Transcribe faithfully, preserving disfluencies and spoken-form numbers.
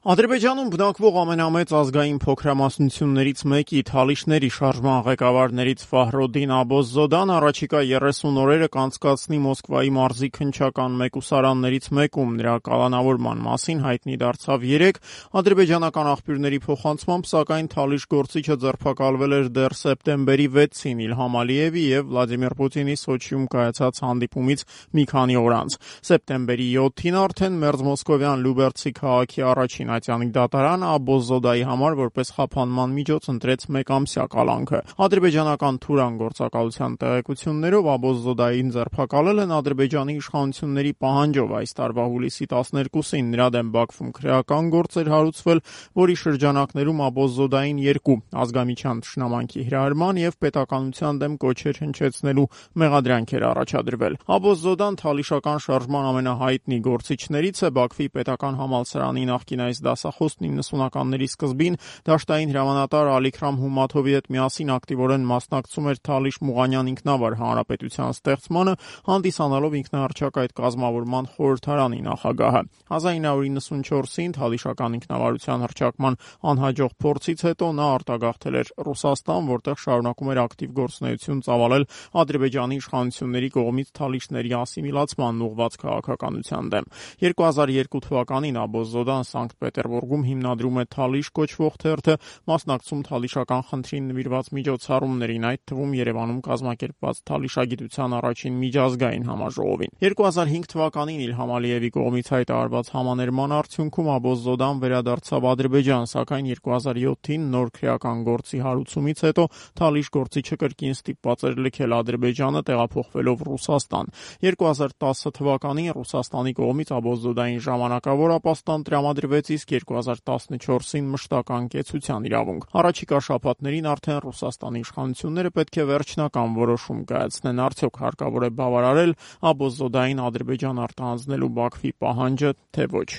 Ադրբեջանում բնակվող ամենամեծ ազգային փոքրամասնություններից մեկի Թալիշների շարժման ղեկավարներից Ֆահրոդին Աբոզզոդան առաջիկա երեսուն օրերը կանցկացնի Մոսկվայի մարզի քննչական մեկուսարաններից մեկում։ Նրա կալանավորման մասին հայտնի դարձավ երեկ։ Ադրբեջանական աղբյուրների փոխանցմամբ, սակայն Թալիշ գործիչը ձերբակալվել էր դեռ սեպտեմբերի վեցին Իլհամ Ալիևի եւ Վլադիմիր Պուտինի Սոչիում կայացած հանդիպումից մի քանի օր անց։ Սեպտեմբերի յոթին արդեն մերձմոսկովյան Լյուբերցի քաղաքի առաջին ատյանի դատարանը Աբոզզոդայի համար որպես խափանման միջոց ընտրեց մեկամսյա կալանքը։ Ադրբեջանական Թուրան գործակալության տեղեկություններով Աբոզզոդային ձերբակալել են Ադրբեջանի իշխանությունների պահանջով այս տարվա հուլիսի տասներկուսին։ Նրա դեմ Բաքվում քրեական գործ էր հարուցվել, որի շրջանակներում Աբոզզոդային երկու ազգամիջյան թշնամանքի հրահրման եւ պետականության դեմ կոչեր հնչեցնելու մեղադրանք էր առաջադրվել։ Աբոզզոդան թալիշական շարժման ամենահայտնի գործիչներից է։ Բաքվի պետական համալսարանի նախկին այս դասախոսն իննսունականների սկզբին դաշտային հրամանատար Ալիքրամ Հումաթովի հետ միասին ակտիվորեն մասնակցում էր Թալիշ Մուղանյան ինքնավար հանրապետության ստեղծմանը, հանդիսանալով ինքնահռչակ այդ կազմավորման խորհրդարանի նախագահը։ հազար ինը հարյուր իննսունչորսին Թալիշական ինքնավարության հռչակման անհաջող փորձից հետո նա արտագաղթել էր Ռուսաստան, որտեղ շարունակում էր ակտիվ գործունեություն ծավալել Ադրբեջանի իշխանությունների կողմից թալիշների ասիմիլացմանն ուղղված քաղաքականության դեմ։ երկու հազար երկու թվականին Աբոզզոդան Սանկտ Պետերբուրգում հիմնադրում է Թալիշ կոչվող թերթը, մասնակցում թալիշական խնդրին նվիրված միջոցառումներին, այդ թվում Երևանում կազմակերպված թալիշագիտության առաջին միջազգային համաժողովին։ երկու հազար հինգ թվականին Իլհամ Ալիևի կողմից հայտարարված համաներման արդյունքում Աբոզզոդան վերադարձավ Ադրբեջան, սակայն երկու հազար յոթին նոր քրեական գործի հարուցումից հետո Թալիշ գործիչը կրկին ստիպված էր լքել Ադրբեջանը, տեղափոխվելով Ռուսաստան։ երկու հազար տասը թվականին Ռուսաստանի կողմից Աբոզզոդային ժամանակավոր ապաստան տրամադրվեց, իսկ երկու հազար տասնչորսին մշտական կեցության իրավունք։ Առաջիկա շաբաթներին արդեն Ռուսաստանի իշխանությունները պետք է վերջնական որոշում կայացնեն, արդյոք հարկավոր է բավարարել Աբոզզոդային Ադրբեջան արտահանձնելու Բաքվի պահանջը, թե ոչ։